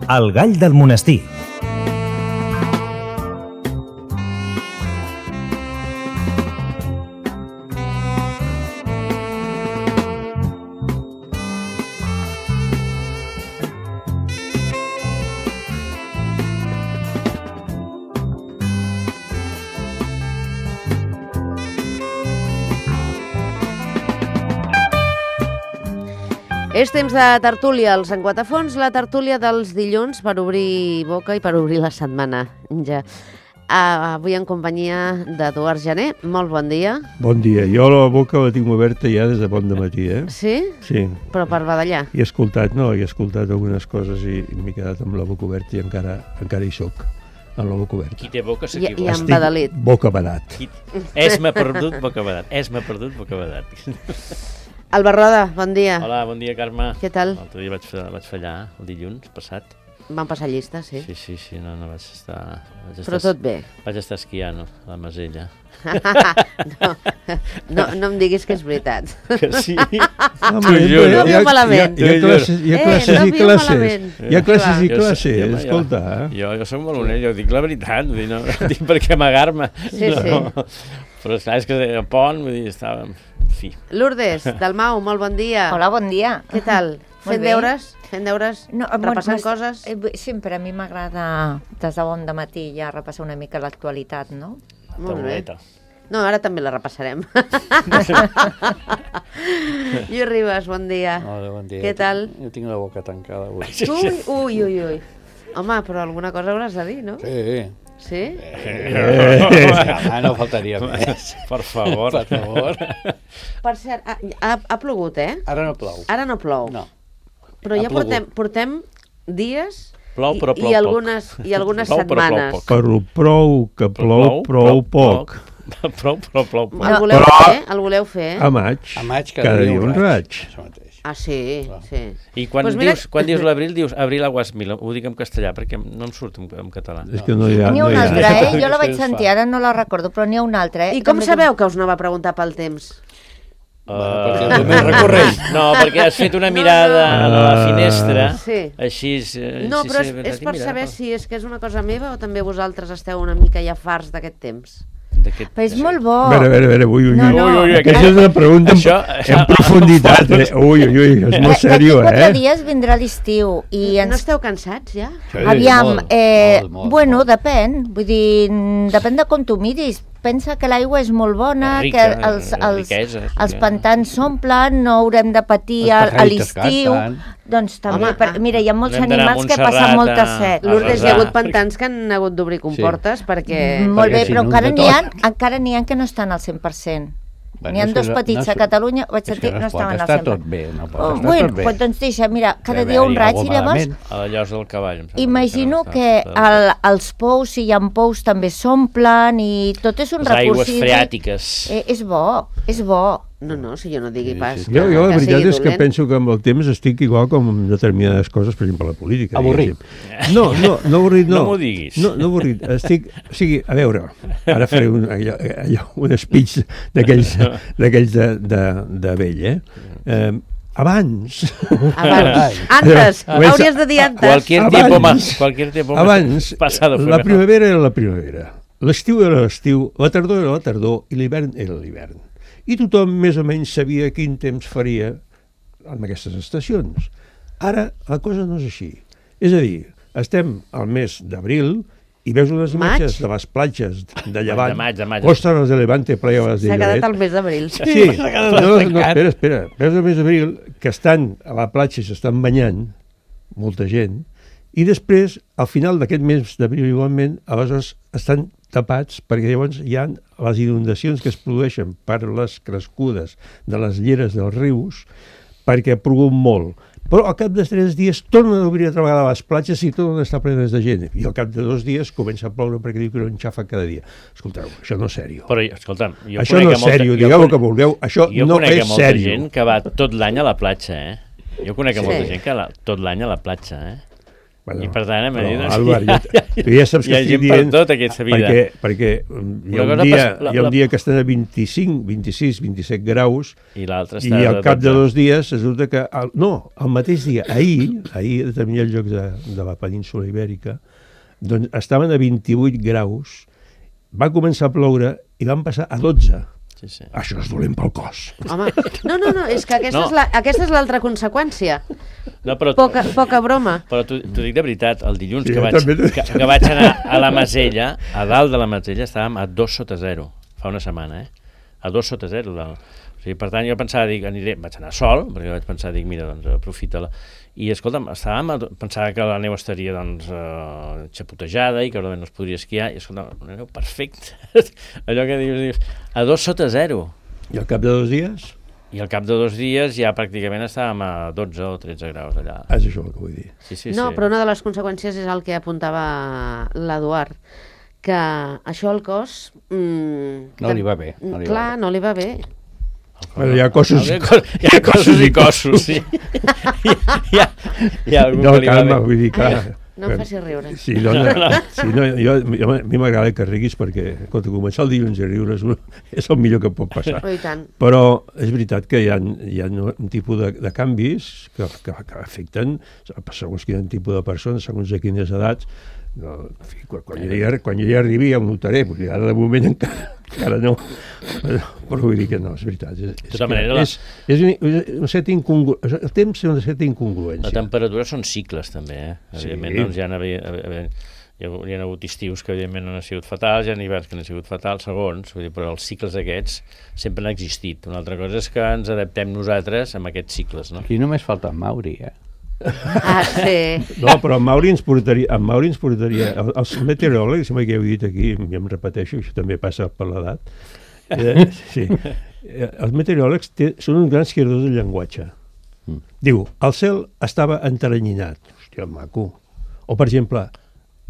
El gall del monestir. És temps de tertúlia als Enquatafons, la tertúlia dels dilluns per obrir boca i per obrir la setmana. Ja. Avui en companyia d'Eduard Jané. Molt bon dia. Bon dia. Jo la boca la tinc oberta ja des de bon dematí, eh? Sí? Sí. Però per badallar? He escoltat algunes coses i m'he quedat amb la boca oberta i encara hi soc, amb la boca oberta. Qui té boca s'equivoca. I amb badalit. Boca badat. És-me perdut, boca badat. És-me perdut, boca badat. Alba Roda, bon dia. Hola, bon dia, Carme. Què tal? L'altre dia vaig fallar, el dilluns passat. Van passar llista, sí. Sí, no vaig estar... Però tot bé. Vaig estar esquiant a la Masella. No em diguis que és veritat. Que sí? No viu malament. Hi ha classes i classes. Hi ha classes i classes, escolta. Jo soc molt honest, jo dic la veritat, no dic per què amagar-me. Sí. Però esclar, és que a Pont, vull dir, estàvem... Lourdes, Dalmau, molt bon dia. Hola, bon dia. Què tal? Fent deures? Repassant coses? Sempre a mi m'agrada des de bon dematí ja repassar una mica l'actualitat, no? Molt bé. No, ara també la repassarem. Lluís Ribas, bon dia. Hola, bon dia. Què tal? Jo tinc la boca tancada avui. Ui. Home, però alguna cosa hauràs de dir, no? Sí. Sí? No faltaria més. Per favor. Per cert, ha plogut, eh? Ara no plou. Ara no plou. No. Però ja portem dies plou, però plou i algunes setmanes. Però plou poc. Plou, però plou poc. El voleu fer? A maig, cada dia un raig. Ah, sí. I quan dius l'abril, dius abril aguas mil. Ho dic en castellà, perquè no em surt en català. És que no hi ha... N'hi ha una altra, Jo la vaig sentir, ara no la recordo, però n'hi ha una altra, I com sabeu que us anava a preguntar pel temps? Perquè el més recorrent. No, perquè has fet una mirada a la finestra, així... No, però és per saber si és que és una cosa meva o també vosaltres esteu una mica ja farts d'aquest temps. Però és molt bo. A veure, ui. Aquesta és una pregunta en profunditat. Ui, és molt seriós, D'aquí 4 dies vindrà l'estiu. No esteu cansats, ja? Aviam, bueno, depèn. Vull dir, depèn de com tu miris. Pensa que l'aigua és molt bona, que els pantans s'omplen, no haurem de patir a l'estiu. Doncs també, mira, hi ha molts animals que passen molta set. Lourdes, hi ha hagut pantans que han hagut d'obrir comportes perquè... Molt bé, però encara n'hi ha que no estan al 100%. N'hi ha 2 petits a Catalunya, vaig sentir, no estaven al 100%. Està tot bé, no pot estar tot bé. Doncs deixa, mira, cada dia un raig i llavors... A la llosa del cavall. Imagino que els pous, si hi ha pous, també s'omplen i tot és un recurs. Les aigües freàtiques. És bo. No, si jo no digui pas. Jo la veritat és que penso que amb el temps estic igual com amb determinades coses, per exemple, la política. Avorrit. No avorrit, no. No m'ho diguis. No avorrit. O sigui, a veure, ara faré un speech d'aquells de vell, Abans. Antes. Hauries de dir antes. Cualquier tiempo abans, la primavera era la primavera, l'estiu era l'estiu, la tardor era la tardor i l'hivern era l'hivern. I tothom més o menys sabia quin temps faria en aquestes estacions. Ara la cosa no és així. És a dir, estem al mes d'abril i veus unes imatges de les platges de Llevant, Costas de Levante, playas de Lloret. S'ha quedat al mes d'abril. Sí, espera. Veus el mes d'abril que estan a la platja i s'estan banyant, molta gent, i després, al final d'aquest mes d'abril igualment, aleshores estan tapats perquè llavors hi ha les inundacions que es produeixen per les crescudes de les lleres dels rius perquè ha plogut molt. Però al cap de 3 dies tornen a obrir altra vegada les platges i tornen a estar plenes de gent. I al cap de 2 dies comença a ploure perquè diu que no enxafa cada dia. Escolteu, això no és sèrio. Però, escolta'm, això no és sèrio, digueu el que vulgueu, això no és sèrio. Jo conec molta gent que va tot l'any a la platja, Jo conec molta gent que va tot l'any a la platja, I per tant, a Madrid... Álvaro, tu ja saps que estic dient... Hi ha gent per tot, aquesta vida. Perquè hi ha un dia que estan a 25, 26, 27 graus i al cap de 2 dies resulta que... el mateix dia, ahir, a determinats llocs de la península Ibèrica, doncs estaven a 28 graus, va començar a ploure i van passar a 12. Sí. Això és dolent pel cos. Home, no, és que aquesta és l'altra conseqüència. No, però, poca broma. Però t'ho dic de veritat, el dilluns que vaig anar a la Masella, a dalt de la Masella, estàvem a 2 sota 0, fa una setmana, a 2 sota 0. O sigui, per tant, jo pensava, vaig anar sol, perquè vaig pensar, mira, doncs aprofita-la. I, escolta'm, pensava que la neu estaria, doncs, xapotejada i que no es podria esquiar, i, escolta'm, una neu perfecta. Allò que dius, a 2 sota 0. I al cap de 2 dies? I al cap de 2 dies ja pràcticament estàvem a 12 o 13 graus allà. És això el que vull dir. Sí. No, però una de les conseqüències és el que apuntava l'Eduard, que això al cos... no li va bé. Clar, no li va bé. Bueno, hi ha cossos i cossos, sí. Hi ha algú que li va bé. Vull dir, clar... No em facis riure. Sí, a mi m'agrada que riguis perquè, escolta, començar el dilluns a riure és el millor que pot passar. Oh, i tant. Però és veritat que hi ha un tipus de canvis que afecten segons quin tipus de persones, segons a quines edats. No, en fi, quan jo ja arribi ja ho notaré, perquè ara de moment encara no, però vull dir que no, és veritat. Un cert el temps és una certa incongruència. La temperatura són cicles també, evidentment, doncs hi ha hagut estius que evidentment no han sigut fatals, hi ha hiverns que no han sigut fatals, segons, però els cicles aquests sempre han existit. Una altra cosa és que ens adaptem nosaltres a aquests cicles, no? Aquí només falta en Mauri, sí. No, però en Mauri ens portaria els meteoròlegs, sembla que ja ho he dit aquí, ja em repeteixo, això també passa per l'edat, sí. Els meteoròlegs són uns grans creadors del llenguatge. Diu, el cel estava enteranyinat, hòstia, maco. O, per exemple,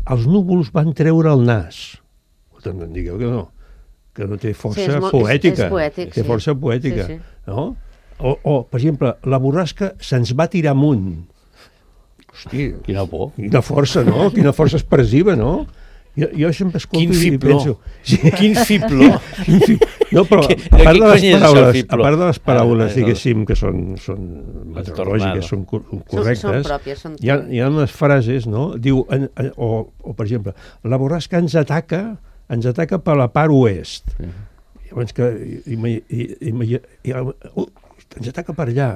els núvols van treure el nas. No em digueu que no té força poètica. És poètic, té força poètica, no? O, per exemple, la borrasca se'ns va tirar amunt. Hòstia, quina por. Quina força, no? Quina força expressiva, no? Jo sempre escolto i penso... Quin fibló! No, però a part de les paraules, diguéssim, que són meteorològiques, són correctes, hi ha unes frases, no? Diu, o per exemple, la borrasca ens ataca per la part oest. Llavors que ens ataca per allà,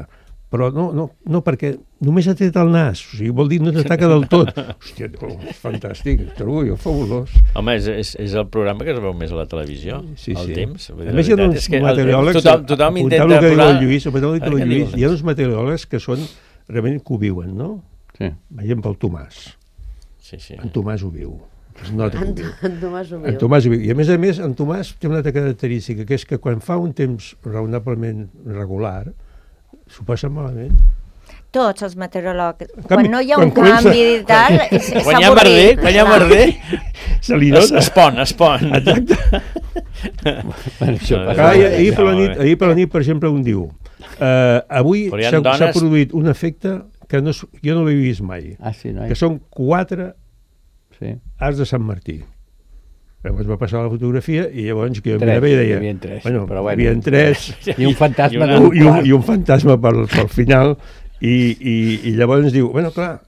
però no perquè només ha tret el nas, o sigui, vol dir no t'ataca del tot. Hòstia, és fantàstic, trobo jo fabulós. Hi el programa que es veu més a la televisió, el temps. A més, hi ha uns meteoròlegs, tothom intenta posar... Hi ha uns meteoròlegs que són, realment que ho viuen, no? Veiem pel Tomàs. En Tomàs ho viu. En Tomàs ho viu. I a més, en Tomàs té una altra característica, que és que quan fa un temps raonablement regular, s'ho passa malament. Tots els meteoròlegs. Quan no hi ha un canvi i tal, és avorrit. Quan hi ha merder, se li nota. Es pon. Exacte. Ahir per la nit, per exemple, un diu avui s'ha produït un efecte que jo no l'he vist mai, que són 4 arcs de Sant Martí. Llavors va passar la fotografia i llavors que jo mirava i deia... Hi havia 3. I un fantasma. I un fantasma pel final. I llavors diu, bueno, clar,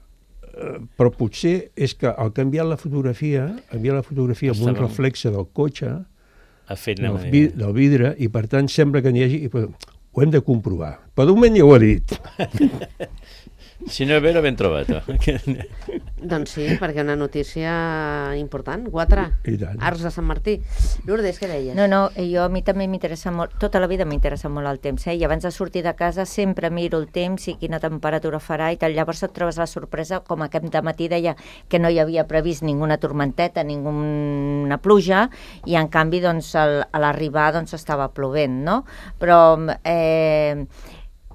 però potser és que al canviar la fotografia amb un reflexe del cotxe, del vidre, i per tant sembla que n'hi hagi... Ho hem de comprovar. Però de moment ja ho ha dit. Si no és vero, ben trobat. Doncs sí, perquè una notícia important, 4 arcs de Sant Martí. Lourdes, què deies? No, a mi també m'interessa molt, tota la vida m'interessa molt el temps, i abans de sortir de casa sempre miro el temps i quina temperatura farà i tal, llavors et trobes la sorpresa, com aquest dematí deia que no hi havia previst ninguna tormenteta, ninguna pluja, i en canvi doncs, a l'arribar doncs, estava plovent, no? Però...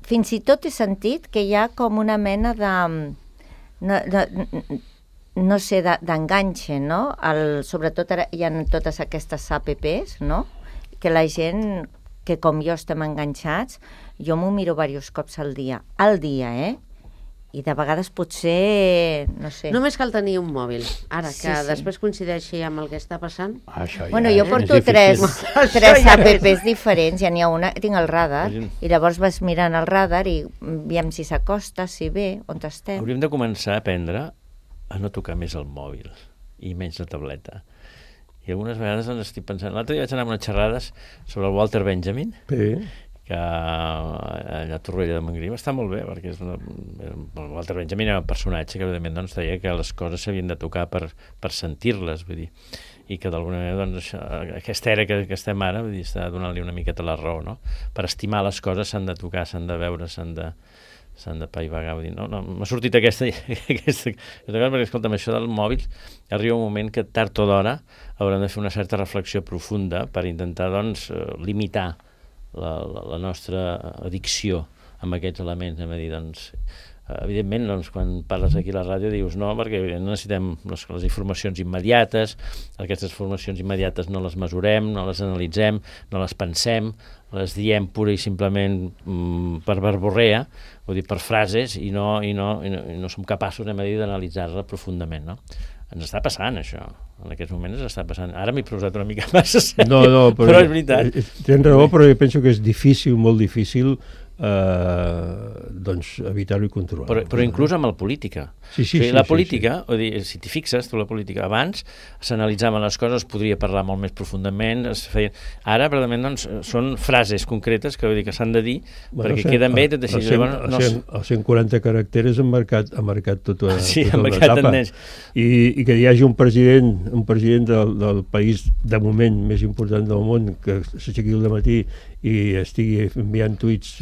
fins i tot he sentit que hi ha com una mena de... no sé, d'enganxe, no? Sobretot ara hi ha totes aquestes apps, no? Que la gent, que com jo estem enganxats, jo m'ho miro diversos cops al dia, I de vegades potser, no sé... Només cal tenir un mòbil. Ara, que Sí. després coincideixi amb el que està passant... Això Bueno, jo porto tres apps diferents, ja n'hi ha una, tinc el radar, i llavors vas mirant el radar i veiem si s'acosta, si ve, on estem. Hauríem de començar a aprendre a no tocar més el mòbil i menys la tableta. I algunes vegades ens estic pensant... L'altre dia vaig anar a unes xerrades sobre el Walter Benjamin, que allà a Torroella de Montgrí està molt bé, perquè el Walter Benjamin era un personatge que evidentment doncs, deia que les coses s'havien de tocar per sentir-les, vull dir, i que d'alguna manera doncs, aquesta era que estem ara, vull dir, està donant-li una miqueta la raó, no? Per estimar les coses s'han de tocar, s'han de veure, s'han de paivagar, vull dir, no, m'ha sortit aquesta perquè, escolta'm, això del mòbil arriba un moment que tard o d'hora haurem de fer una certa reflexió profunda per intentar, doncs, limitar la nostra addicció amb aquests elements, a dir, doncs, evidentment, doncs, quan parles aquí a la ràdio dius no, perquè necessitem les informacions immediates, aquestes informacions immediates no les mesurem, no les analitzem, no les pensem, les diem pura i simplement per verborrea, vull dir, per frases, i no som capaços, d'analitzar-la profundament, no? Ens està passant, això. En aquests moments ens està passant. Ara m'he posat una mica massa sèrio, no, però és veritat. Tens raó, però jo penso que és difícil, molt difícil, doncs evitar-ho i controlar. Però inclús amb la política. Sí, la política, o dir, si t'hi fixes, tu la política, abans s'analitzaven les coses, es podria parlar molt més profundament, ara, realment, doncs, són frases concretes que, vull dir, que s'han de dir, perquè queden bé, tot així. Els 140 caràcters han marcat tota l'etapa. I que hi hagi un president del país, de moment, més important del món, que s'aixequi al matí i estigui enviant tuits,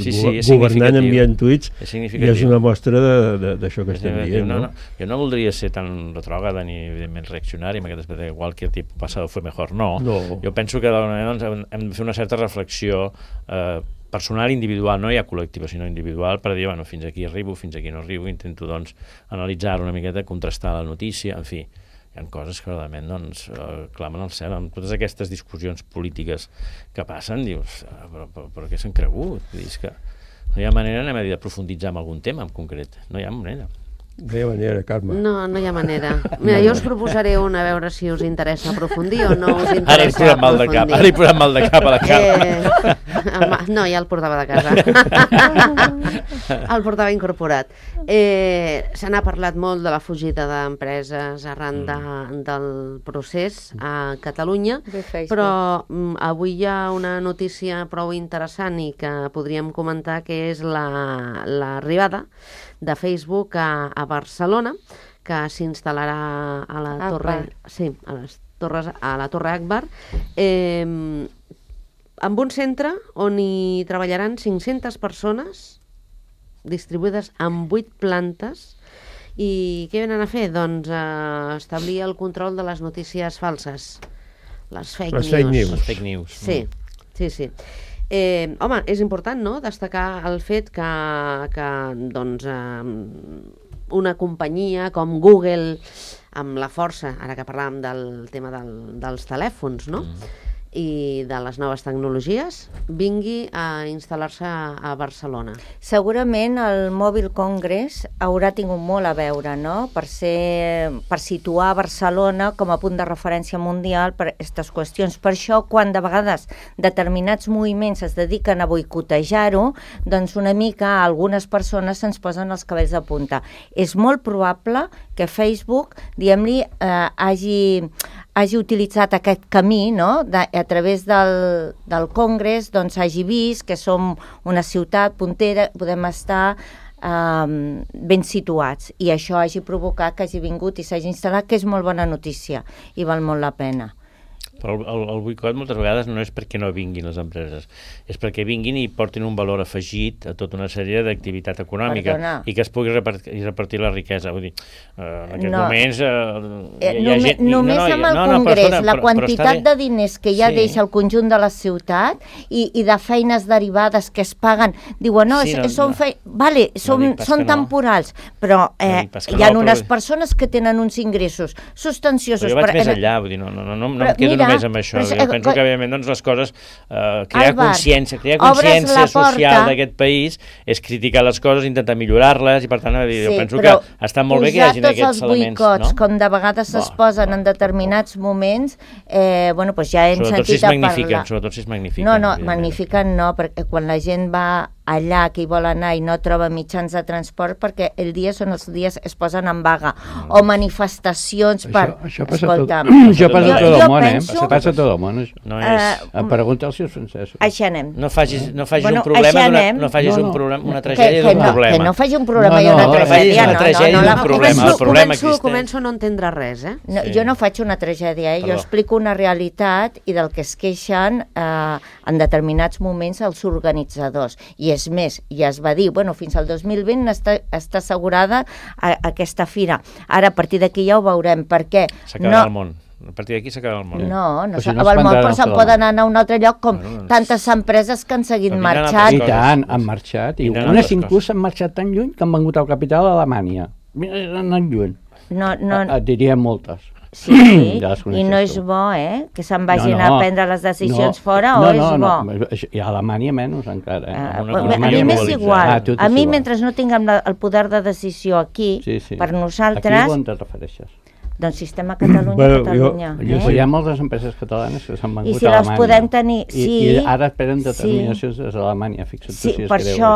governant enviant tuits, i és una mostra d'això que estem dient. Jo no voldria ser tan retrògrada ni, evidentment, reaccionari amb aquest aspecte, igual que el tipus passat fue mejor, no. Jo penso que hem de fer una certa reflexió personal i individual, no ja col·lectiva, sinó individual, per dir, bueno, fins aquí arribo, fins aquí no arribo, intento, doncs, analitzar una miqueta, contrastar la notícia, en fi, hi ha coses que realment doncs, clamen al cel. Amb totes aquestes discussions polítiques que passen, dius, però què s'han cregut? És que no hi ha manera, de profunditzar en algun tema en concret. No hi ha manera. No hi ha manera, Carme. No hi ha manera. Mira, jo us proposaré una, a veure si us interessa aprofundir o no us interessa aprofundir. Ara he posat mal de cap a la Carme. No, ja el portava de casa. El portava incorporat. Se n'ha parlat molt de la fugida d'empreses arran del procés a Catalunya, però avui hi ha una notícia prou interessant i que podríem comentar, que és l'arribada de Facebook a Barcelona, que s'instal·larà a la Torre... Sí, a la Torre Akbar, amb un centre on hi treballaran 500 persones distribuïdes en 8 plantes. I què venen a fer? Doncs establir el control de les notícies falses, les fake news. Sí. Home, és important, no?, destacar el fet que doncs, una companyia com Google, amb la força, ara que parlàvem del tema dels telèfons, no?, i de les noves tecnologies, vingui a instal·lar-se a Barcelona. Segurament el Mobile Congress haurà tingut molt a veure, no?, per situar Barcelona com a punt de referència mundial per aquestes qüestions. Per això, quan de vegades determinats moviments es dediquen a boicotejar-ho, doncs una mica a algunes persones se'ns posen els cabells de punta. És molt probable que Facebook, diguem-li, hagi utilitzat aquest camí, no?, a través del Congrés, doncs hagi vist que som una ciutat puntera, podem estar ben situats, i això hagi provocat que hagi vingut i s'hagi instal·lat, que és molt bona notícia i val molt la pena. Però el boicot moltes vegades no és perquè no vinguin les empreses, és perquè vinguin i portin un valor afegit a tota una sèrie d'activitat econòmica. Perdona. I que es pugui repartir la riquesa. Vull dir, en aquests moments hi ha gent... Només amb el Congrés, la quantitat de diners que ja deixa el conjunt de la ciutat i de feines derivades que es paguen, diuen, són temporals, però hi ha unes persones que tenen uns ingressos substanciosos. Però jo vaig més enllà, vull dir, no em quedo només fes amb això. Jo penso que, evidentment, doncs, les coses... crear consciència social d'aquest país és criticar les coses, intentar millorar-les, i per tant, jo penso que està molt bé que hi hagin aquests elements. Posar tots els boicots, com de vegades es posen en determinats moments, bueno, doncs ja hem sentit a parlar. Sobretot si es magnifiquen. No, magnifiquen no, perquè quan la gent va allà que hi vol anar i no troba mitjans de transport, perquè el dia són els dies es posen en vaga, o manifestacions per... Això passa a tot el món, passa a tot el món, això. Pregunta als seus francesos. Així anem. No facis un problema, una tragèdia d'un problema. Que no faci un problema i una tragèdia. Una tragèdia d'un problema. El problema existeix. Començo a no entendre res, Jo no faig una tragèdia, jo explico una realitat i del que es queixen en determinats moments els organitzadors. I és més, ja es va dir, bueno, fins al 2020 està assegurada aquesta fira. Ara, a partir d'aquí ja ho veurem, perquè... S'acabarà el món. A partir d'aquí s'acaba el món. No s'acaba el món, però se'n poden anar a un altre lloc, com tantes empreses que han seguit marxant. I tant, han marxat. I unes inclús han marxat tan lluny que han vengut al capital d'Alemanya. Han anat lluny. Et diria moltes. Sí, i no és bo, que se'n vagin a prendre les decisions fora, o és bo? I a Alemanya menys encara. A mi m'és igual. A mi, mentre no tinguem el poder de decisió aquí, per nosaltres... Aquí on te refereixes? Doncs sistema Catalunya. Hi ha moltes empreses catalanes que s'han vengut a Alemanya. I si les podem tenir... I ara esperen determinacions des d'Alemanya, fixa't tu si es creu això.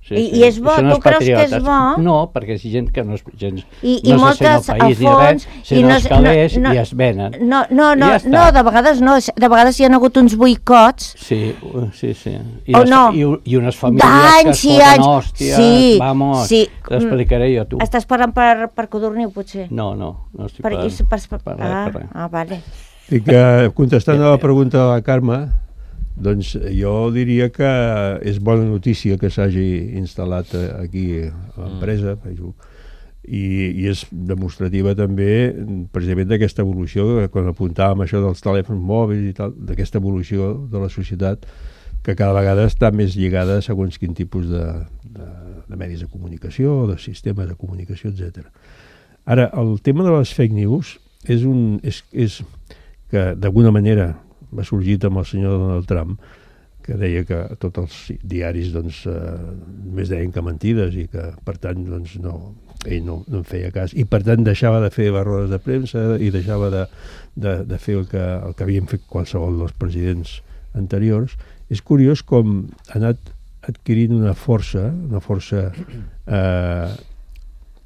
I és bo? Tu creus que és bo? No, perquè és gent que no se sent el país ni res, sinó els calés i es venen. No, de vegades no. De vegades hi ha hagut uns boicots. Sí. I unes famílies que es foten hòsties, vamos, t'explicaré jo, tu. Estàs parlant per Codorniu, potser? No estic parlant per res. Vale. I que, contestant a la pregunta de la Carme, doncs jo diria que és bona notícia que s'hagi instal·lat aquí a l'empresa i és demostrativa també precisament d'aquesta evolució, quan apuntàvem això dels telèfons mòbils i tal, d'aquesta evolució de la societat que cada vegada està més lligada a segons quin tipus de medis de comunicació, de sistemes de comunicació, etc. Ara, el tema de les fake news és que d'alguna manera va sorgit amb el senyor Donald Trump, que deia que tots els diaris només deien que mentides i que, per tant, ell no en feia cas. I, per tant, deixava de fer rodes de premsa i deixava de fer el que havien fet qualsevol dels presidents anteriors. És curiós com ha anat adquirint una força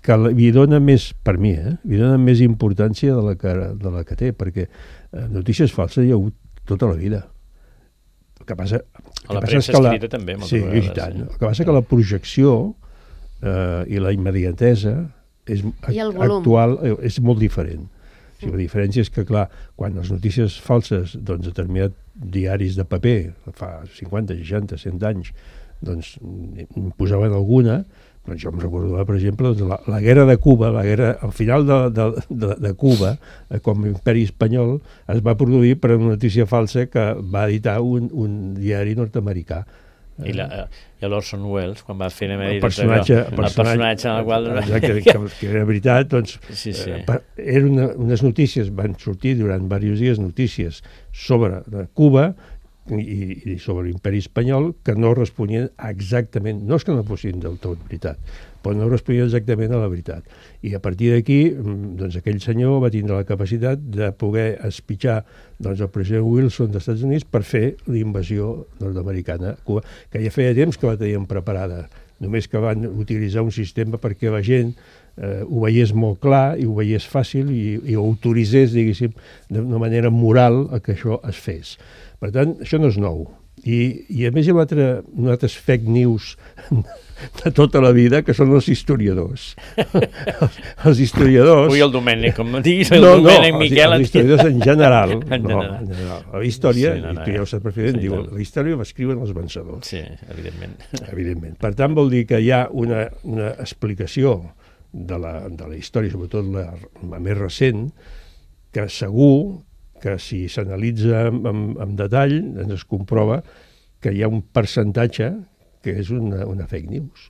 que li dona més, per mi, li dona més importància de la que té, perquè notícies falses hi ha hagut tota la vida. El que passa és que escrita també, moltes vegades. Sí, i tant. El que passa que la projecció i la immediatesa actual és molt diferent. La diferència és que, clar, quan les notícies falses, determinats diaris de paper, fa 50, 60, 100 anys, posaven alguna. Jo em recordo, per exemple, la guerra de Cuba, al final de Cuba, com a imperi espanyol, es va produir per una notícia falsa que va editar un diari nord-americà. I l'Orson Welles, quan va fer el personatge en el qual... que era veritat, eren unes notícies, van sortir durant diversos dies notícies sobre Cuba i sobre l'imperi espanyol que no responien exactament, no és que no fossin del tot veritat, però no responien exactament a la veritat. I a partir d'aquí, aquell senyor va tindre la capacitat de poder espitxar el president Wilson dels Estats Units per fer l'invasió nord-americana a Cuba, que ja feia temps que la tenien preparada, només que van utilitzar un sistema perquè la gent ho veiés molt clar i ho veiés fàcil i ho autoritzés, diguéssim, d'una manera moral a que això es fes. Per tant, això no és nou. I a més hi ha altres fake news de tota la vida, que són els historiadors. Els historiadors... Ui, el Domènec, com diguis, el Domènec, Miquel... Els historiadors en general. La història, tu ja ho saps perfectament, diu, la història l'escriuen els vencedors. Sí, evidentment. Per tant, vol dir que hi ha una explicació de la història, sobretot la més recent, que segur que si s'analitza amb detall es comprova que hi ha un percentatge que és una fake news,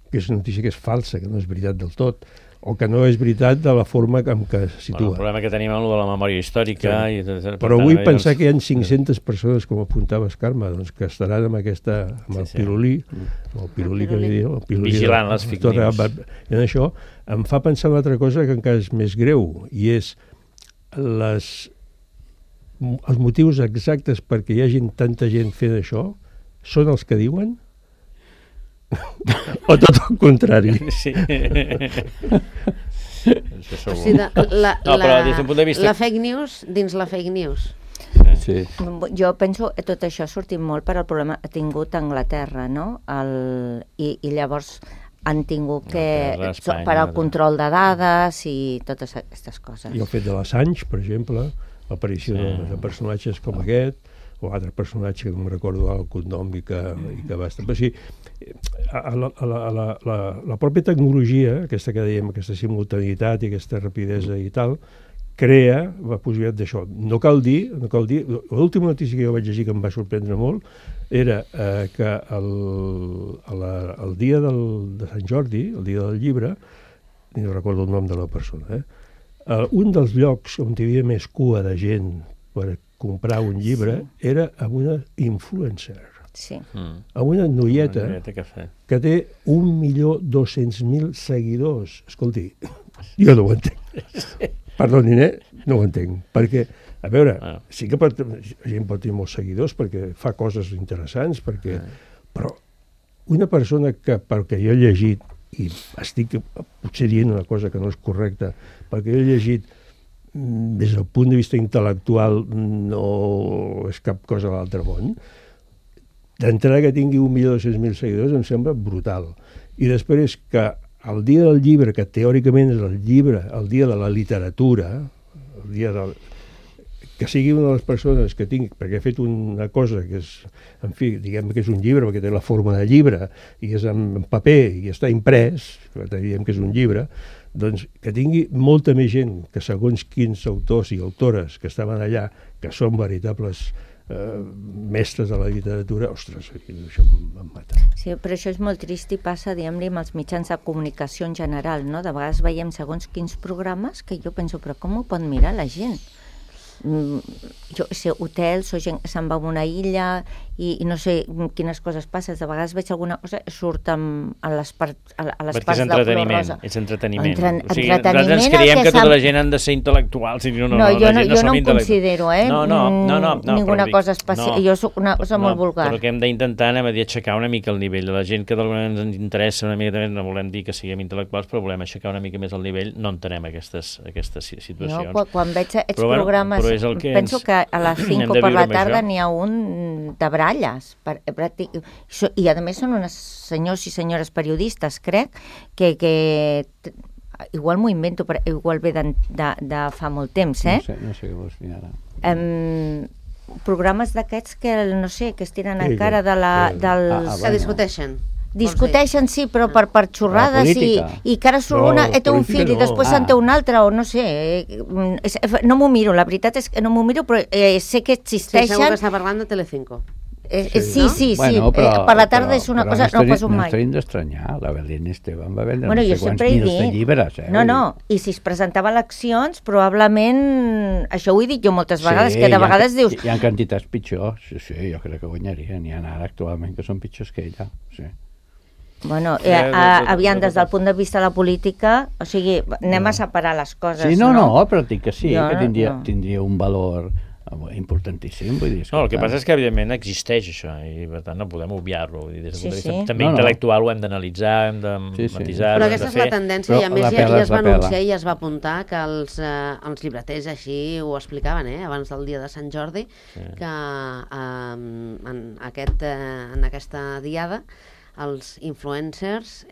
que és una notícia que és falsa, que no és veritat del tot. o que no és veritat de la forma en què es situa. El problema que tenim és de la memòria històrica. Però vull pensar que hi ha 500 persones, com apuntaves, Carme, que estaran amb el pirulí, vigilant les fake news. I això em fa pensar una altra cosa que encara és més greu, i és els motius exactes perquè hi hagi tanta gent fent això són els que diuen? O tot el contrari? Sí. O sigui, la fake news dins la fake news. Sí. Jo penso que tot això ha sortit molt per al problema que ha tingut Anglaterra, no? I llavors han tingut que per al control de dades i totes aquestes coses. I el fet de l'Assange, per exemple, l'aparició de personatges com aquest, o altre personatge que no recordo el cognom i que va estar... Però sí, la pròpia tecnologia, aquesta que dèiem, aquesta simultaneïtat i aquesta rapidesa i tal, crea la possibilitat d'això. No cal dir, l'última notícia que jo vaig llegir que em va sorprendre molt era que el dia de Sant Jordi, el dia del llibre, no recordo el nom de la persona, un dels llocs on hi havia més cua de gent per comprar un llibre era amb una influencer. Sí. Amb una noieta que té 1.200.000 seguidors. Escolti, jo no ho entenc. Perdonin, no ho entenc. Perquè, a veure, sí que la gent pot tenir molts seguidors perquè fa coses interessants, però una persona que, pel que jo he llegit, i estic potser dient una cosa que no és correcta, perquè jo he llegit des del punt de vista intel·lectual no és cap cosa a l'altre món, d'entrada que tingui 1.200.000 seguidors em sembla brutal. I després que el dia del llibre, que teòricament és el llibre, el dia de la literatura, el dia del... que sigui una de les persones que tingui, perquè ha fet una cosa que és, en fi, diguem que és un llibre, perquè té la forma de llibre, i és en paper, i està imprès, diguem que és un llibre, doncs que tingui molta més gent que segons quins autors i autores que estaven allà, que són veritables mestres de la literatura, ostres, això em mata. Sí, però això és molt trist i passa, diguem-li, amb els mitjans de comunicació en general, no? De vegades veiem segons quins programes que jo penso, però com ho pot mirar la gent? Jo sé, hotels o gent que se'n va a una illa i no sé quines coses passen. De vegades veig alguna cosa que surt a les parts de color rosa. És entreteniment. O sigui, nosaltres creiem que tota la gent han de ser intel·lectuals. Jo no em considero, ninguna cosa especial. Jo soc una cosa molt vulgar. Però que hem d'intentar aixecar una mica el nivell de la gent, que d'alguna manera ens interessa una mica, no volem dir que siguem intel·lectuals, però volem aixecar una mica més el nivell, no entenem aquestes situacions. Quan veig aquests programes penso que a les 5 per la tarda n'hi ha un de baralles i a més són uns senyors i senyores periodistes, crec que igual m'ho invento, igual ve de fa molt temps, no sé què vols dir ara. Programes d'aquests que no sé, que es tiren encara dels... que discuteixen. Discuteixen, sí, però per xorrades i que ara surt una, té un fill i després se'n té un altre, o no sé, no m'ho miro, la veritat és que no m'ho miro, però sé que existeixen. Sí, segur que està parlant de Telecinco. Sí, per la tarda és una cosa, no passo mai. No estem d'estranyar, la Belén Esteban va vendre no sé quants milions de llibres. No, i si es presentava a eleccions, probablement, això ho he dit jo moltes vegades, que de vegades dius... Hi ha quantitats pitjors, sí, jo crec que guanyaria, n'hi ha ara actualment que són pitjors que ella, sí. Bueno, aviam, des del punt de vista de la política, o sigui, anem a separar les coses, no? Sí, no, però dic que sí, que tindria un valor importantíssim, vull dir... No, el que passa és que, evidentment, existeix això, i per tant no podem obviar-lo. Des del punt de vista també intel·lectual ho hem d'analitzar, hem de matisar... Però aquesta és la tendència, i a més ja es va anunciar i es va apuntar que els llibreters així ho explicaven, abans del dia de Sant Jordi, que en aquesta diada els influencers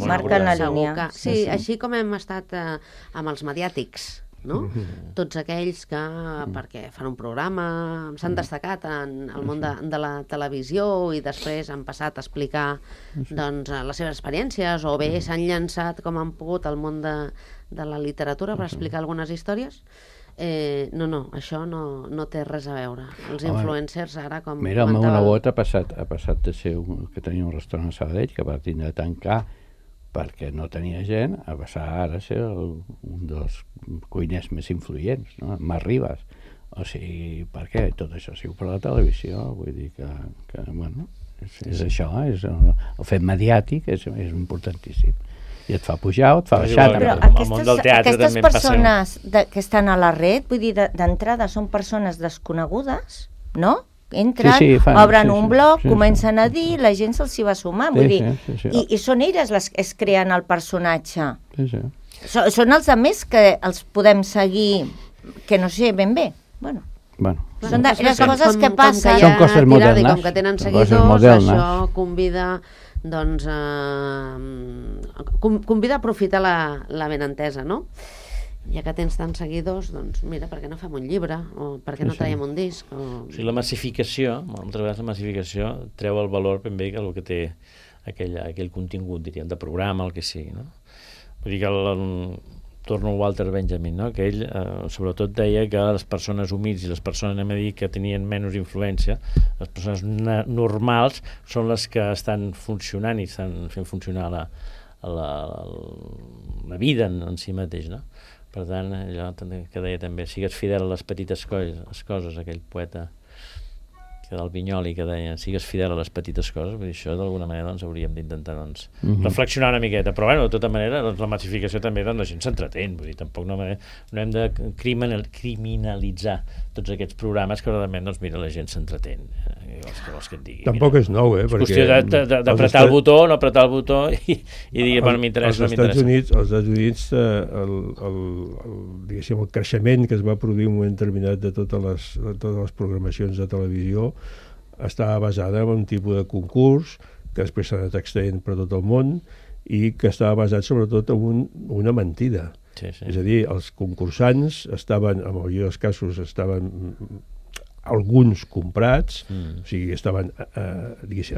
marquen la línia. Sí, així com hem estat amb els mediàtics, no? Tots aquells que, perquè fan un programa, s'han destacat en el món de la televisió i després han passat a explicar les seves experiències, o bé s'han llançat com han pogut al món de la literatura per explicar algunes històries. No, això no té res a veure. Els influencers ara, com comentava... Mira, el meu nebot ha passat de ser que tenia un restaurant a Sabadell, que va tindre de tancar perquè no tenia gent, a passar ara a ser un dels cuiners més influents, no? M'arribes. O sigui, per què? Tot això siu per la televisió, vull dir que bueno, és això, és el fet mediàtic és importantíssim. I et fa pujar o et fa baixar. Però aquestes persones que estan a la red, vull dir, d'entrada són persones desconegudes, no? Entren, obren un blog, comencen a dir, la gent se'ls hi va sumar, vull dir, i són elles les que es creen el personatge. Són els altres que els podem seguir, que no sé ben bé. Bueno. Són les coses que passen. Són coses modernes. Com que tenen seguidors, això convida a aprofitar la benentesa, no? Ja que tens tants seguidors, doncs mira, per què no fem un llibre? O per què no traiem un disc? O sigui, la massificació, moltes vegades la massificació treu el valor ben bé que el que té aquell contingut, diríem, de programa, el que sigui, no? Vull dir que torno a Walter Benjamin, no? Que ell sobretot deia que les persones humils i les persones, anem a dir, que tenien menys influència, les persones normals són les que estan funcionant i estan fent funcionar la vida en si mateix, no? Per tant, allò que deia també, sigues fidel a les petites coses, aquell poeta del Vinyoli que deia, sigues fidel a les petites coses, vull dir, això d'alguna manera doncs, hauríem d'intentar reflexionar una miqueta, però bueno, de tota manera doncs, la massificació també doncs, la gent s'entretén, vull dir, tampoc no hem de criminalitzar tots aquests programes que realment, doncs mira, la gent s'entretén, vols que et digui. Tampoc és nou, és qüestió d'apretar el botó, no apretar el botó i dir, bueno, m'interessa, no m'interessa. Als Estats Units, diguéssim, el creixement que es va produir en un moment determinat de totes les programacions de televisió estava basada en un tipus de concurs que després s'ha anat extraient per tot el món i que estava basat sobretot en una mentida. És a dir, els concursants estaven, en el millor dels casos, estaven alguns comprats, o sigui, estaven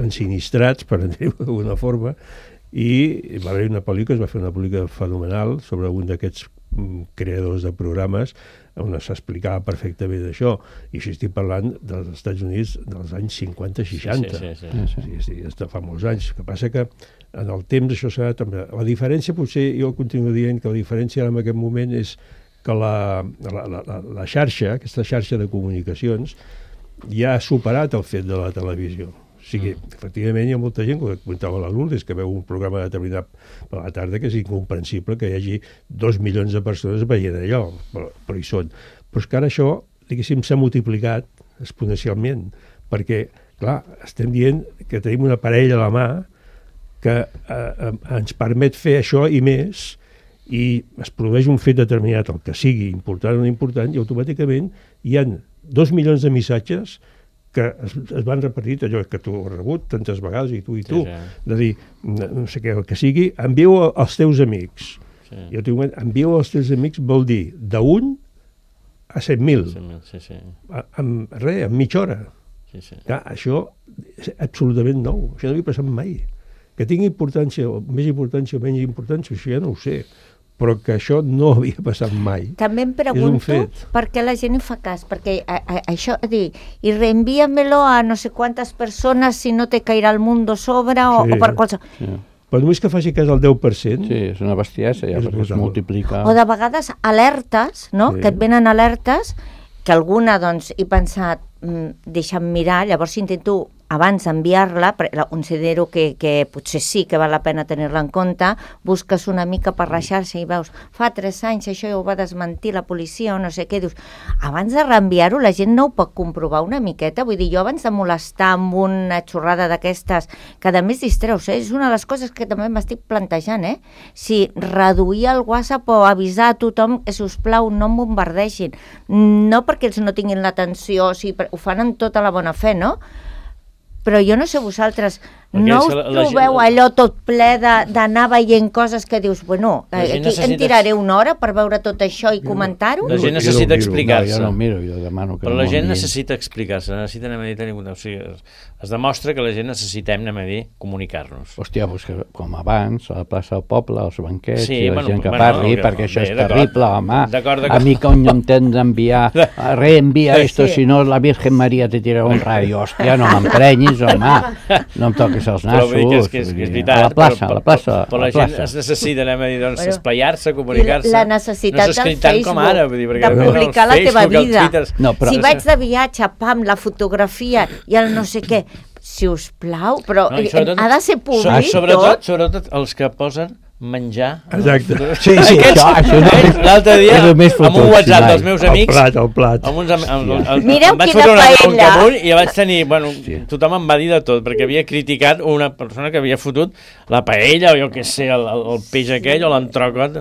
ensinistrats, per dir-ho d'alguna forma, i va haver una pel·lícula, es va fer una pel·lícula fenomenal sobre un d'aquests creadors de programes on s'explicava perfectament això, i això estic parlant dels Estats Units dels anys 50-60. Sí, fa molts anys. El que passa que en el temps això s'ha també... La diferència, potser, jo continuo dient que la diferència en aquest moment és que la xarxa, aquesta xarxa de comunicacions, ja ha superat el fet de la televisió. O sigui, efectivament hi ha molta gent, com comentava la Lourdes, que veu un programa determinat per la tarda que és incomprensible que hi hagi 2 milions de persones veient allò, però hi són. Però és que ara això, diguéssim, s'ha multiplicat exponencialment, perquè, clar, estem dient que tenim un aparell a la mà que ens permet fer això i més, i es produeix un fet determinat, el que sigui important o no important, i automàticament hi ha 2 milions de missatges que es van repetir, allò que tu has rebut tantes vegades, i tu, de dir, no sé què, el que sigui, envieu als teus amics. I envieu als teus amics vol dir d'1 a 100.000. En mitja hora. Clar, això és absolutament nou, això no havia passat mai. Que tingui importància, més importància o menys importància, això ja no ho sé, però que això no havia passat mai. També em pregunto per què la gent hi fa cas, perquè això, i reenvíamelo a no sé quantes persones si no te cairà el mundo sobre o per qualsevol... Però només que faci cas al 10%... Sí, és una bestiesa, ja, perquè es multiplica... O de vegades alertes, no?, que et venen alertes, que alguna, doncs, he pensat, deixa'm mirar, llavors intento abans d'enviar-la, considero que potser sí que val la pena tenir-la en compte, busques una mica per la xarxa i veus, fa 3 anys això ja ho va desmentir la policia o no sé què, dius, abans de reenviar-ho la gent no ho pot comprovar una miqueta, vull dir, jo abans de molestar amb una xorrada d'aquestes, que a més distreus, és una de les coses que també m'estic plantejant, si reduir el WhatsApp o avisar a tothom que, sisplau, no em bombardeixin, no perquè ells no tinguin l'atenció, ho fan amb tota la bona fe, no? Però jo no sé vosaltres, no us trobeu allò tot ple d'anar veient coses que dius, bueno, aquí em tiraré una hora per veure tot això i comentar-ho? La gent necessita explicar-se. Jo no ho miro, jo demano que... Però la gent necessita explicar-se, necessita, o sigui, es demostra que la gent necessitem, comunicar-nos. Hòstia, com abans, a la plaça del poble, als banquets, i la gent que parli, perquè això és terrible, home. A mi que no em tens d'enviar, reenvia esto, si no la Virgen Maria te tira un rayo. Hòstia, no m'emprenyis, home. No em toques és els nassos. Que és veritat. A la plaça. Però la gent es necessita, esplaiar-se, comunicar-se. La necessitat del Facebook de publicar la teva vida. Si vaig de viatge, pam, la fotografia i el no sé què, si us plau, però ha de ser públic Sobretot els que posen menjar. Exacte. Sí, això l'altre dia, amb un WhatsApp dels meus amics, el plat. Mireu quina paella. I vaig tenir, tothom em va dir de tot, perquè havia criticat una persona que havia fotut la paella, o jo què sé, el peix aquell, o l'entrocot.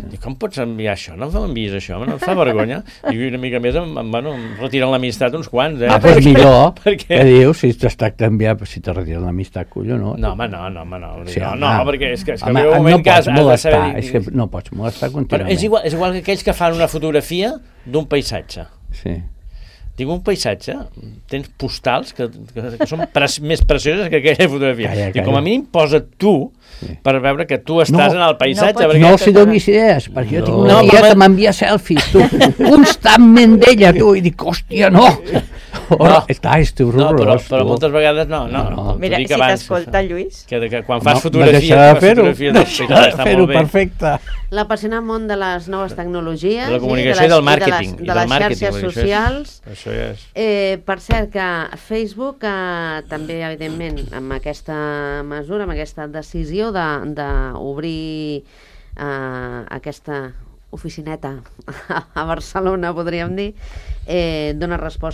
I com pots enviar això? No m'envies això, no em fa vergonya. I una mica més em retiren l'amistat uns quants. Doncs millor, què dius, si t'estàs d'enviar, si te retiren l'amistat, collonut. No, perquè és que veu un moment que és que no pots molestar contínuament. És igual que aquells que fan una fotografia d'un paisatge. Sí. Dic, un paisatge, tens postals que són més precioses que aquella fotografia. I com a mínim posa tu per veure que tu estàs en el paisatge. No els donis idees, perquè jo tinc una tia que m'envia selfies, tu, constantment d'ella, tu, i dic, hòstia, no! És horrorós. Però moltes vegades no. Mira, si t'escolta, Lluís... Que quan fas fotografies... Deixa de fer-ho, perfecte. L'apassionant món de les noves tecnologies, de la comunicació i del màrqueting, de les xarxes socials. Això és. Per cert, que Facebook també, evidentment, amb aquesta mesura, amb aquesta decisió d'obrir aquesta oficineta a Barcelona, podríem dir, intentarà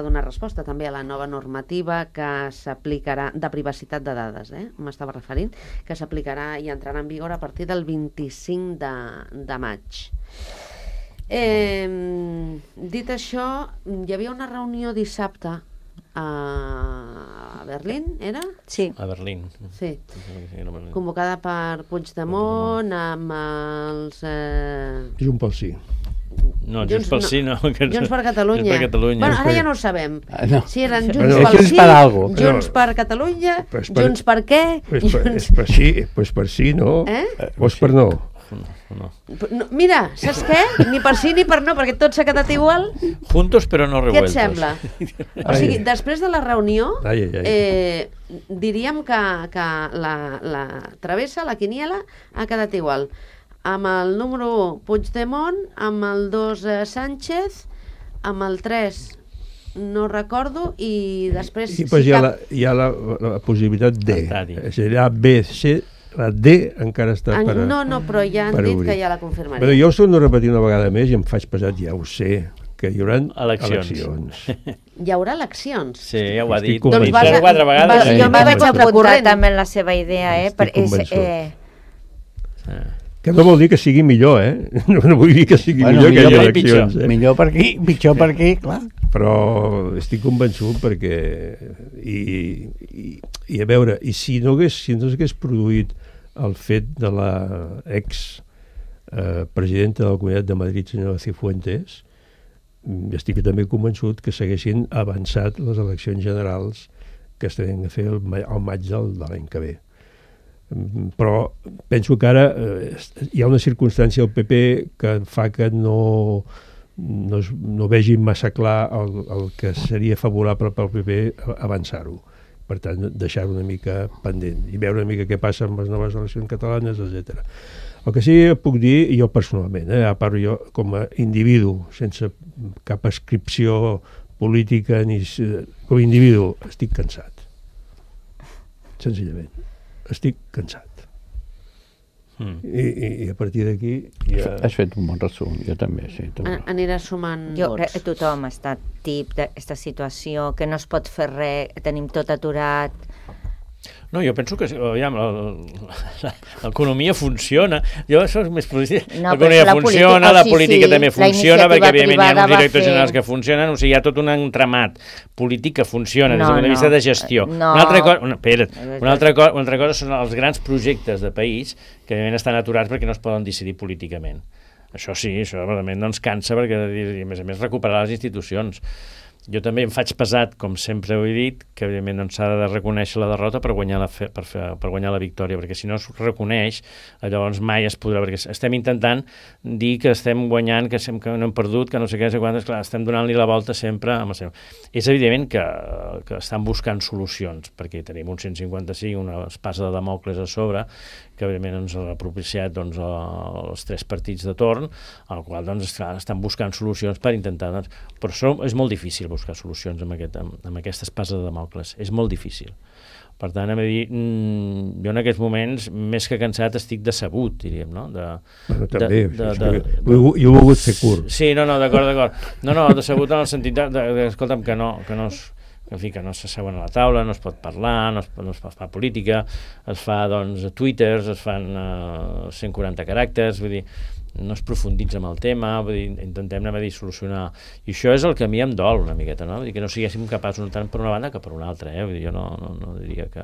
donar resposta també a la nova normativa que s'aplicarà de privacitat de dades, m'estava referint, que s'aplicarà i entrarà en vigor a partir del 25 de maig. Dit això, hi havia una reunió dissabte a Berlín, era? Sí. A Berlín. Sí. Convocada per Puigdemont amb els... Junts pel Sí. No, Junts pel Sí no. Junts per Catalunya. Bueno, ara ja no ho sabem. Si eren Junts pel Sí, Junts per Catalunya, Junts per què? Pues per sí, no? Pues per no. No. Mira, saps què? Ni per sí ni per no, perquè tot s'ha quedat igual. Juntos però no revueltos. Què et sembla? O sigui, després de la reunió, diríem que la travessa, la quiniela, ha quedat igual. Amb el número 1, Puigdemont, amb el 2, Sánchez, amb el 3, no recordo, i després... I hi ha la possibilitat D. Serà B, C... La D encara està per obrir. No, però ja han dit que ja la confirmaria. Però jo us torno a repetir una vegada més i em faig pesat, ja ho sé, que hi haurà eleccions. Hi haurà eleccions? Sí, ja ho ha dit. Doncs 4 vegades. Jo m'he vaig apuntar també en la seva idea, Que no vol dir que sigui millor, No vull dir que sigui millor que hi hagi eleccions. Millor per aquí, pitjor per aquí, clar. Però estic convençut perquè... I a veure, i si no s'hagués produït el fet de la ex-presidenta de la Comunitat de Madrid, senyora Cifuentes, estic també convençut que s'haguessin avançat les eleccions generals que es tenen a fer al maig de l'any que ve. Però penso que ara hi ha una circumstància al PP que fa que no vegi massa clar el que seria favorable pel PP avançar-ho. Per tant, deixar-ho una mica pendent i veure una mica què passa amb les noves eleccions catalanes, etc. El que sí que puc dir, jo personalment, a part jo com a individu, sense cap ascripció política, com a individu, estic cansat. Senzillament. Estic cansat. I a partir d'aquí ja... Has fet un bon resum, jo també, sí. Anirà sumant vots. Tothom està tip d'aquesta situació, que no es pot fer res, tenim tot aturat. No, jo penso que l'economia funciona. Jo això és més positiu. L'economia funciona, la política també funciona, perquè evidentment hi ha uns directors generals que funcionen, o sigui, hi ha tot un entramat polític que funciona des del punt de vista de gestió. Una altra cosa són els grans projectes de país que evidentment estan aturats perquè no es poden decidir políticament. Això sí, això realment no ens cansa perquè, a més a més, recuperar les institucions. jo també em faig pesat, com sempre ho he dit, que evidentment s'ha de reconèixer la derrota per guanyar la victòria, perquè si no es reconeix, llavors mai es podrà, perquè estem intentant dir que estem guanyant, que no hem perdut, que no sé què, clar, estem donant-li la volta sempre amb el seu. És evident que estan buscant solucions, perquè tenim un 155, una espasa de Damocles a sobre, que evidentment ens ha propiciat els 3 partits de torn, al qual estan buscant solucions per intentar... Però això és molt difícil buscar solucions amb aquesta espasa de Damocles. És molt difícil. Per tant, jo en aquests moments, més que cansat, estic decebut, diríem, no? També, jo he volgut ser curt. Sí, d'acord. No, decebut en el sentit escolta'm, que no s'asseuen a la taula, no es pot parlar, no es fa política, es fa, twitters, es fan 140 caràcters, vull dir, no es profunditza en el tema, vull dir, intentem solucionar. I això és el que a mi em dol una miqueta, no? Vull dir, que no siguéssim capaços tant per una banda que per una altra, Vull dir, jo no diria que...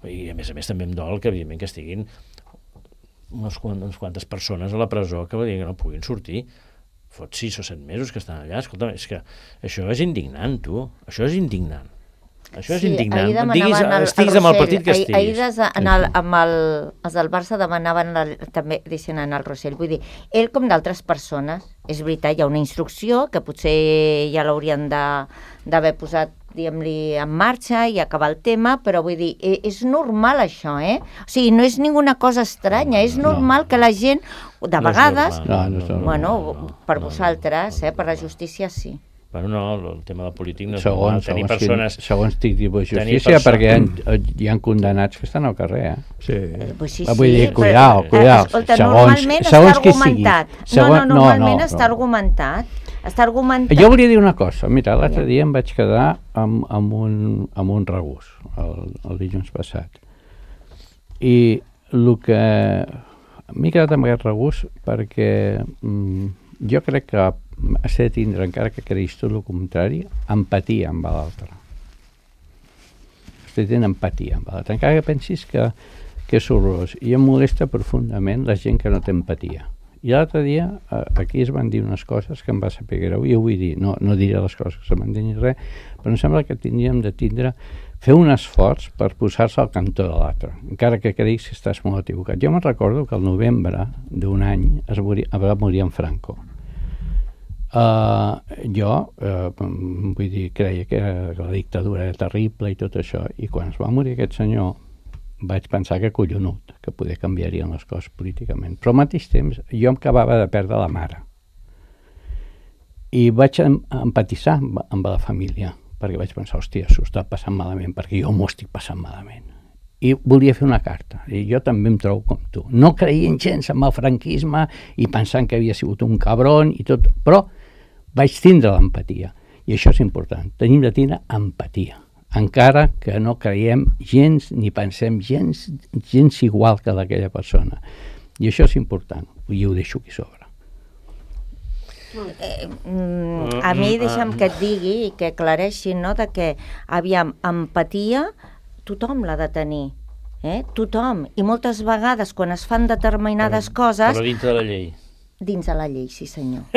I a més també em dol que, evidentment, que estiguin unes quantes persones a la presó que no puguin sortir. Fot 6 o 7 mesos que estan allà. Escolta'm, és que això és indignant, tu. Això és indignant. Això és indignant. Estiguis amb el partit que estiguis. Ahir els del Barça demanaven també, deixen anar al Rossell. Vull dir, ell com d'altres persones, és veritat, hi ha una instrucció que potser ja l'haurien d'haver posat, diguem-li, en marxa i acabar el tema, però vull dir, és normal això, O sigui, no és ninguna cosa estranya, és normal que la gent, de vegades, per vosaltres, per la justícia sí. Bueno, no, el tema del polític no és normal. Tenir persones... Segons tipus de justícia, perquè hi ha condemnats que estan al carrer, Sí. Sí, vull dir, cuidao. Escolta, normalment està argumentat. Normalment està argumentat. Jo volia dir una cosa. Mira, l'altre dia em vaig quedar amb un regús, el dilluns passat. I el que... M'he quedat amb aquest regús perquè jo crec que has de tindre, encara que creguis tot el contrari, empatia amb l'altre. Has de tenir empatia amb l'altre. Encara que pensis que és horrorós. I em molesta profundament la gent que no té empatia. I l'altre dia aquí es van dir unes coses que em va saber greu, i ho vull dir, no diré les coses que se m'han dit ni res, però em sembla que tindríem de fer un esforç per posar-se al cantó de l'altre, encara que creguis que estàs molt equivocat. Jo me'n recordo que al novembre d'un any va morir en Franco. Vull dir, creia que la dictadura era terrible i tot això, i quan es va morir aquest senyor vaig pensar que collonut, que poder canviarien les coses políticament. Però al mateix temps jo em acabava de perdre la mare. I vaig empatitzar amb la família, perquè vaig pensar, hòstia, s'ho està passant malament, perquè jo m'ho estic passant malament. I volia fer una carta, i jo també em trobo com tu. No creient gens en el franquisme i pensant que havia sigut un cabron i tot, però vaig tindre l'empatia. I això és important, tenim de tindre empatia. Encara que no creiem gens ni pensem gens igual que d'aquella persona. I això és important, i ho deixo aquí sobre. A mi deixa'm que et digui i que aclareixi, no?, de que, aviam, empatia tothom l'ha de tenir, tothom. I moltes vegades quan es fan determinades coses... Però dintre de la llei. Dins de la llei, sí senyor.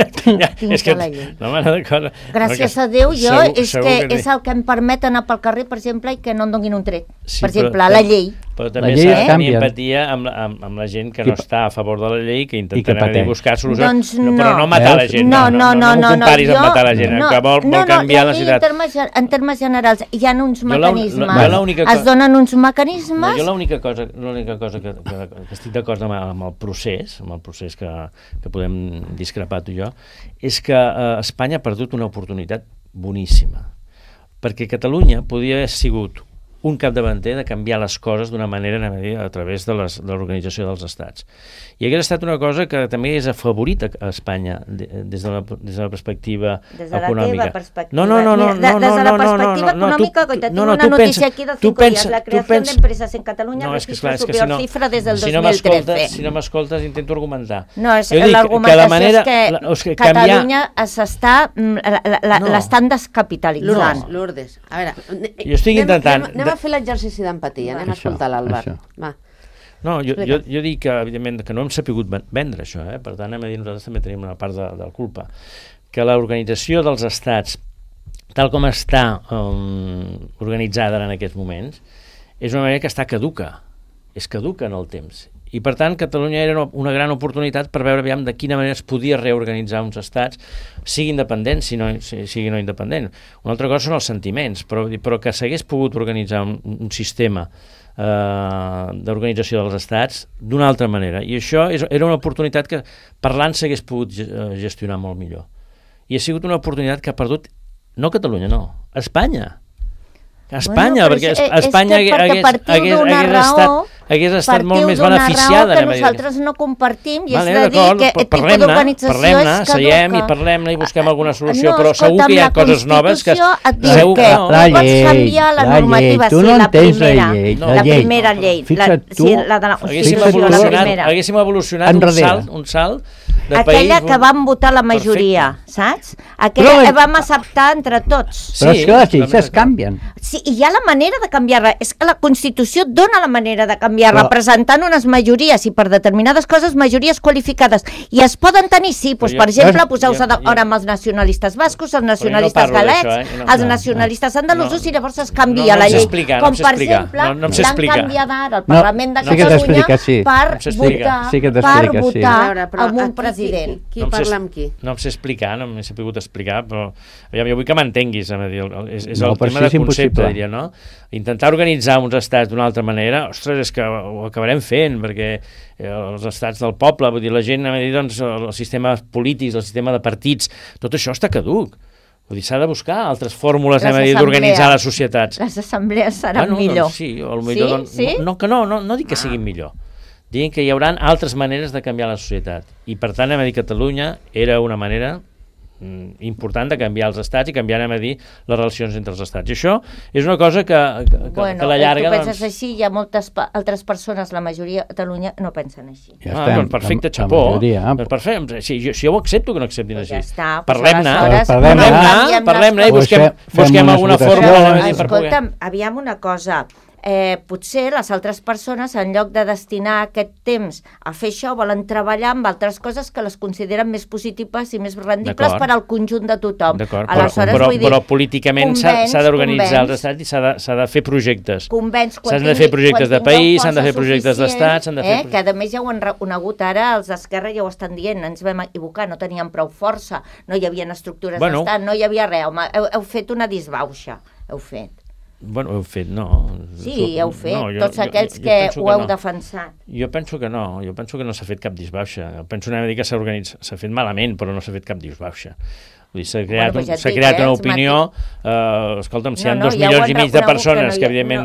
Dins de la llei. No m'agrada cosa... Gràcies a Déu, és el que em permet anar pel carrer, per exemple, i que no em donin un tret. Per exemple, la llei. Però també s'ha de tenir empatia amb la gent que no està a favor de la llei, que intentarà buscar solucions, però no matar la gent. No comparis amb matar la gent, que vol canviar la ciutat. En termes generals, hi ha uns mecanismes, es donen uns mecanismes... Jo l'única cosa que estic d'acord amb el procés que podem discrepar tu i jo, és que Espanya ha perdut una oportunitat boníssima, perquè Catalunya podia haver sigut un capdavanter de canviar les coses d'una manera a través de l'organització dels estats. I hauria estat una cosa que també és afavorit a Espanya des de la perspectiva econòmica. Des de la teva perspectiva. Des de la perspectiva econòmica, que tinc una notícia aquí de 5 dies, la creació d'empreses en Catalunya ha registrat la superior xifra des del 2013. Si no m'escoltes, intento argumentar. No, l'argumentació és que Catalunya l'estan descapitalitzant. Lourdes, a veure... Jo estic intentant... Anem a fer l'exercici d'empatia, anem a escoltar l'Àlvar. Va. No, jo dic que, evidentment, que no hem sapigut vendre això, per tant, nosaltres també tenim una part de culpa. Que l'organització dels estats tal com està organitzada en aquests moments, és una manera que està caduca. És caduca en el temps. I, per tant, Catalunya era una gran oportunitat per veure aviam de quina manera es podia reorganitzar uns estats, sigui independent, sigui no independent. Una altra cosa són els sentiments, però que s'hagués pogut organitzar un sistema d'organització dels estats d'una altra manera. I això era una oportunitat que parlant s'hagués pogut gestionar molt millor. I ha sigut una oportunitat que ha perdut, no Catalunya, no, Espanya. Espanya, perquè Espanya hagués estat molt més beneficiada. Que nosaltres no compartim, i és de dir que aquest tipus d'organització és caduca. Seiem i parlem-ne i busquem alguna solució, però segur que hi ha coses noves que... Segur que no pots canviar la normativa, sí, la primera llei. Haguéssim evolucionat un salt de país... Aquella que vam votar la majoria, saps? Aquella que vam acceptar entre tots. Però és que les lleis es canvien. Sí, i hi ha la manera de canviar-la. És que la Constitució dona la manera de canviar-la, presentant unes majories, i per determinades coses majories qualificades. I es poden tenir, sí, per exemple, poseu-se d'acord amb els nacionalistes bascos, els nacionalistes galecs, els nacionalistes andalusos, i llavors es canvia la llei. Com, per exemple, l'han canviat ara al Parlament de Catalunya per votar amb un president. Qui parla amb qui? No em sé explicar, no m'he sabut explicar, però jo vull que m'entenguis, és el tema de concepte, diria, no? Intentar organitzar uns estats d'una altra manera, ostres, és que ho acabarem fent, perquè els estats del poble, vull dir, la gent, doncs, els sistemes polítics, el sistema de partits, tot això està caduc. Vull dir, s'ha de buscar altres fórmules d'organitzar les societats. Les assemblees seran millor. Sí, no dic que siguin millor. Diguin que hi haurà altres maneres de canviar la societat. I, per tant, Catalunya era una manera important de canviar els estats i canviar, les relacions entre els estats. I això és una cosa que a la llarga... Tu penses així, hi ha moltes altres persones, la majoria a Catalunya no pensen així. Perfecte, xapó. Si jo ho accepto que no acceptin així. Parlem-ne i busquem alguna fórmula. Escolta'm, aviam una cosa... potser les altres persones, en lloc de destinar aquest temps a fer això, volen treballar amb altres coses que les consideren més positives i més rendibles per al conjunt de tothom. Però políticament s'ha d'organitzar els estats i s'ha de fer projectes. S'han de fer projectes de país, s'han de fer projectes d'estat... Que a més ja ho han reconegut ara, els d'Esquerra ja ho estan dient, ens vam equivocar, no teníem prou força, no hi havia estructures d'estat, no hi havia res, heu fet una disbauxa, heu fet. Bueno, heu fet, no. Sí, heu fet, tots aquells que ho heu defensat. Jo penso que no s'ha fet cap disbauxa. Penso que s'ha fet malament, però no s'ha fet cap disbauxa. S'ha creat una opinió, escolta'm, si hi ha 2,5 milions de persones que evidentment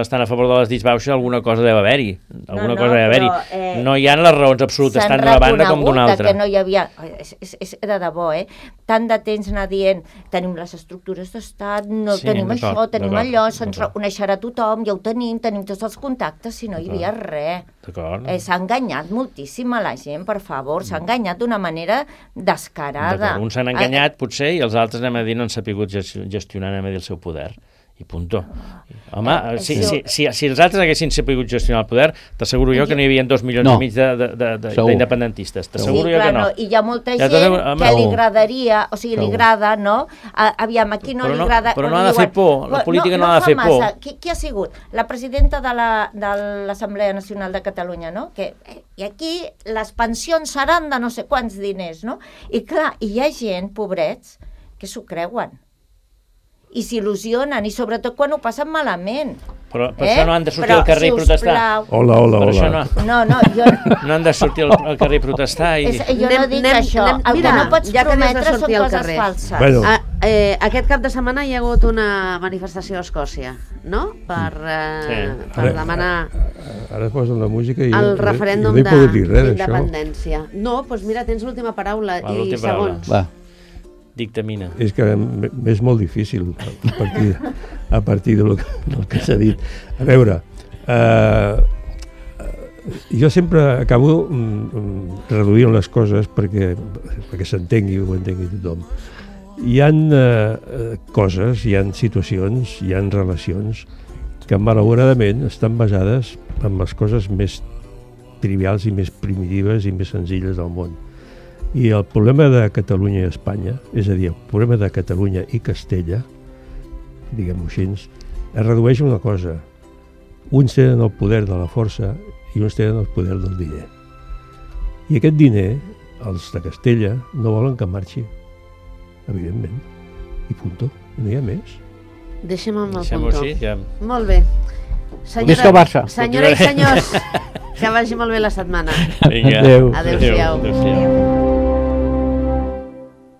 estan a favor de les disbauxes, alguna cosa deu haver-hi. No hi ha les raons absolutes tant d'una banda com d'una altra. Que no hi havia, és de debò, tant de temps anar dient tenim les estructures d'estat, no tenim això, tenim allò, se'ns reconeixerà tothom, ja ho tenim tots els contactes, si no hi havia res. S'ha enganyat moltíssim a la gent, per favor, s'ha enganyat d'una manera descarada. Uns s'han enganyat, potser, i els altres, no han sapigut gestionar el seu poder. I punto. Home, si els altres haguessin sapigut gestionar el poder, t'asseguro jo que no hi havia 2,5 milions d'independentistes. T'asseguro jo que no. I hi ha molta gent que li agradaria, o sigui, li agrada, no? Aviam, aquí no li agrada... Però no ha de fer por, la política no ha de fer por. Qui ha sigut? La presidenta de l'Assemblea Nacional de Catalunya, no? I aquí les pensions seran de no sé quants diners, no? I clar, hi ha gent, pobrets, que s'ho creuen. I s'il·lusionen, i sobretot quan ho passen malament. Però per això no han de sortir al carrer i protestar. Hola. No, jo... No han de sortir al carrer i protestar. Jo no dic això. El que no pots prometre són coses falses. Aquest cap de setmana hi ha hagut una manifestació a Escòcia, no? Per demanar... Ara es posa la música i... El referèndum d'independència. No, doncs mira, tens l'última paraula i segons. Va. Dictamina. És que és molt difícil a partir del que s'ha dit. A veure, jo sempre acabo reduint les coses perquè s'entengui, ho entengui tothom. Hi ha coses, hi ha situacions, hi ha relacions que malauradament estan basades en les coses més trivials i més primitives i més senzilles del món. I el problema de Catalunya i Espanya, és a dir, el problema de Catalunya i Castella, diguem-ho així, es redueix a una cosa. Uns tenen el poder de la força i uns tenen el poder del diner. I aquest diner, els de Castella, no volen que marxi, evidentment. I punto, no hi ha més. Deixem amb el Deixem-ho punto. així, ja. Molt bé. Visca Barça. Senyora i senyors, que vagi molt bé la setmana. Vinga. Adéu. Adéu-siau. Adéu-siau.